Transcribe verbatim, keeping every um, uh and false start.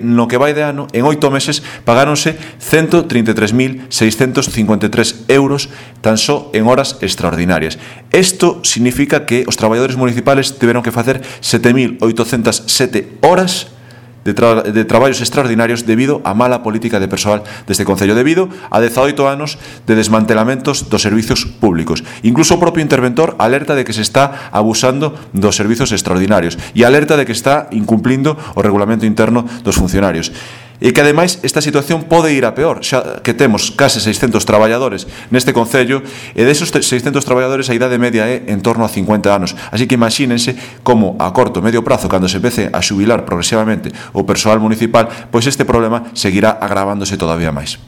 No que vai de ano, en oito meses, pagáronse ciento treinta e tres mil seiscentos cincuenta e tres euros tan só en horas extraordinarias. Isto significa que os traballadores municipales tiveron que facer sete mil oitocentas sete horas de, tra de traballos extraordinarios debido á mala política de persoal deste Concello, debido a dezaoito anos de desmantelamentos dos servizos públicos. Incluso o propio interventor alerta de que se está abusando dos servizos extraordinarios e alerta de que está incumplindo o regulamento interno dos funcionarios. E que, ademais, esta situación pode ir a peor, xa que temos case seiscentos traballadores neste Concello, e desos seiscentos traballadores a idade media é en torno a cincuenta anos. Así que imagínense como a corto e medio prazo, cando se empece a xubilar progresivamente o persoal municipal, pois este problema seguirá agravándose todavía máis.